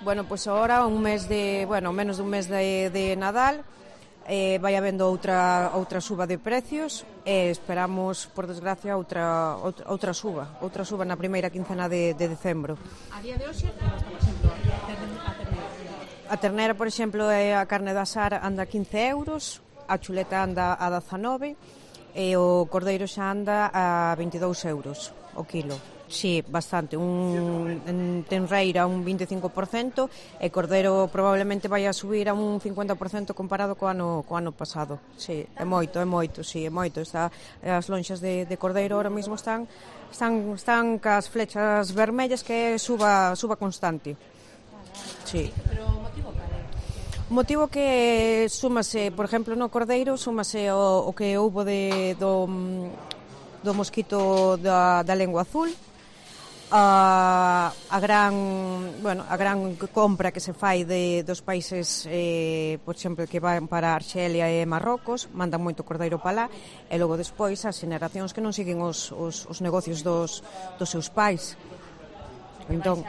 Bueno, pois agora menos dun mes de Nadal, vai habendo outra suba de precios e esperamos, por desgracia, outra suba na primeira quincena de decembro. A día de hoxe, como está, por exemplo, a ternera? A ternera, por exemplo, a carne da Sara anda a 15 euros, a chuleta anda a 19 e o cordeiro xa anda a 22 euros o kilo. Sí, bastante, en tenreira un 25% e cordeiro probablemente vai a subir a un 50% comparado co ano pasado. Sí, é moito, sí, é moito. As lonxas de cordeiro ahora mesmo están cas flechas vermellas que é suba constante. Sí. Pero o motivo cal é? O motivo que súmase, por exemplo, no cordeiro, súmase o que houbo do mosquito da lengua azul, a gran compra que se fai dos países, por exemplo, que van para Arxelia e Marrocos, mandan moito cordeiro para lá, e logo despois as xeneracións que non siguen os negocios dos seus pais. Entón,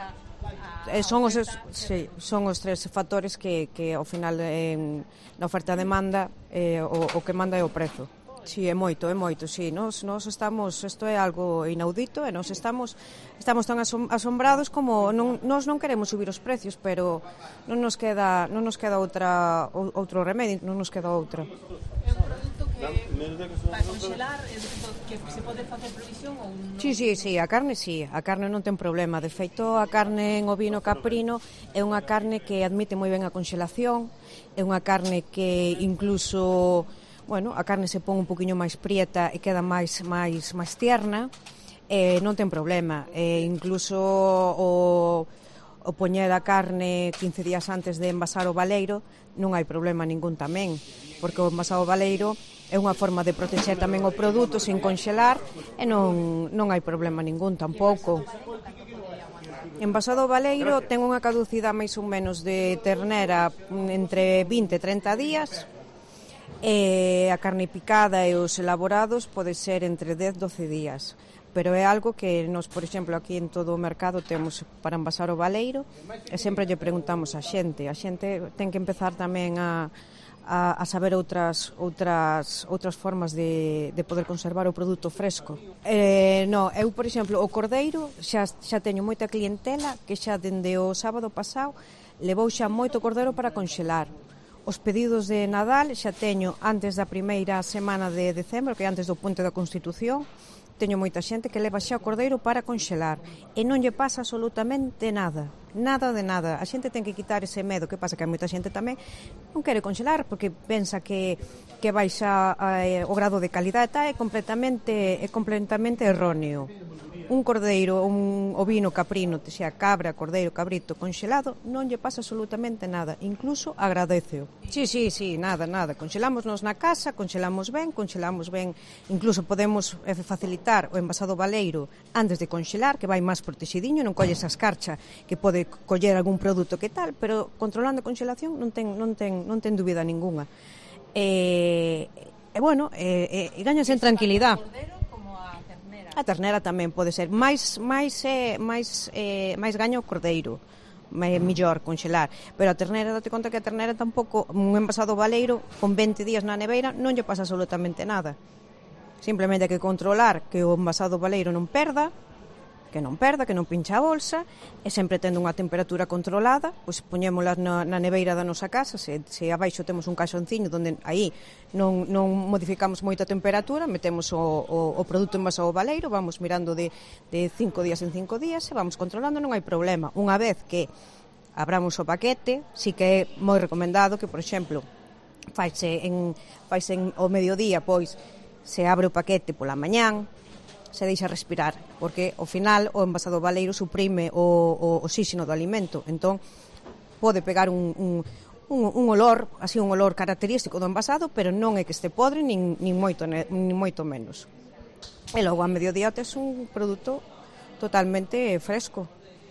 son os tres factores que ao final na oferta e demanda o que manda é o prezo. Sí, é moito, sí. Nós estamos, isto é algo inaudito e nós estamos tan asombrados como nós non queremos subir os precios, pero non nos queda outro remedio, non nos queda outra. É un produto que para congelar, que se pode facer provisión ou non? Sí, a carne non ten problema. De feito, a carne en ovino caprino é unha carne que admite moi ben a conxelación, é unha carne que incluso, a carne se pon un poquinho máis prieta e queda máis tierna, non ten problema. Incluso o poñer a carne 15 días antes de envasar o baleiro non hai problema ningún tamén, porque o envasar o baleiro é unha forma de protexer tamén o produto sin conxelar e non hai problema ningún tampouco. Envasado o baleiro ten unha caducidade máis ou menos de ternera entre 20 e 30 días, e a carne picada e os elaborados pode ser entre 10 e 12 días, pero é algo que nos, por exemplo, aquí en todo o mercado temos para envasar o baleiro e sempre lle preguntamos a xente ten que empezar tamén a saber outras formas de poder conservar o produto fresco. Eu, por exemplo, o cordeiro xa teño moita clientela que xa dende o sábado pasado levou xa moito cordeiro para conxelar. Os pedidos de Nadal xa teño antes da primeira semana de decembro, que é antes do Puente da Constitución, teño moita xente que leva xa o cordeiro para conxelar e non lle pasa absolutamente nada de nada. A xente ten que quitar ese medo, que pasa que hai moita xente tamén non quere conxelar porque pensa que baixa o grado de calidade, é completamente erróneo. Un cordeiro, un ovino caprino, xa cabra, cordeiro, cabrito conxelado, non lle pasa absolutamente nada, incluso agradeceo. Sí, nada, conxelámonos na casa, conxelamos ben, incluso podemos facilitar o envasado baleiro antes de conxelar, que vai máis protexidiño, non colle esa escarcha que pode coller algún produto que tal, pero controlando a conxelación non ten dúbida ninguna. E gañas en tranquilidade. A ternera tamén pode ser máis gaño o cordeiro, mellor conxelar, pero a ternera, date conta que a ternera tampouco, un envasado baleiro con 20 días na neveira non lle pasa absolutamente nada. Simplemente hai que controlar que o envasado baleiro non perda, que non pincha a bolsa, e sempre tendo unha temperatura controlada, pois poñémolas na neveira da nosa casa, se abaixo temos un caixonciño onde aí non modificamos moita temperatura, metemos o produto envasado ao baleiro, vamos mirando de 5 días en 5 días e vamos controlando, non hai problema. Unha vez que abramos o paquete, sí que é moi recomendado que, por exemplo, faise ao mediodía, pois se abre o paquete pola mañán, se deixa respirar, porque ao final o envasado baleiro suprime o oxígeno do alimento, entón pode pegar un olor, así un olor característico do envasado, pero non é que este podre nin moito menos. E logo a mediodía tes un produto totalmente fresco.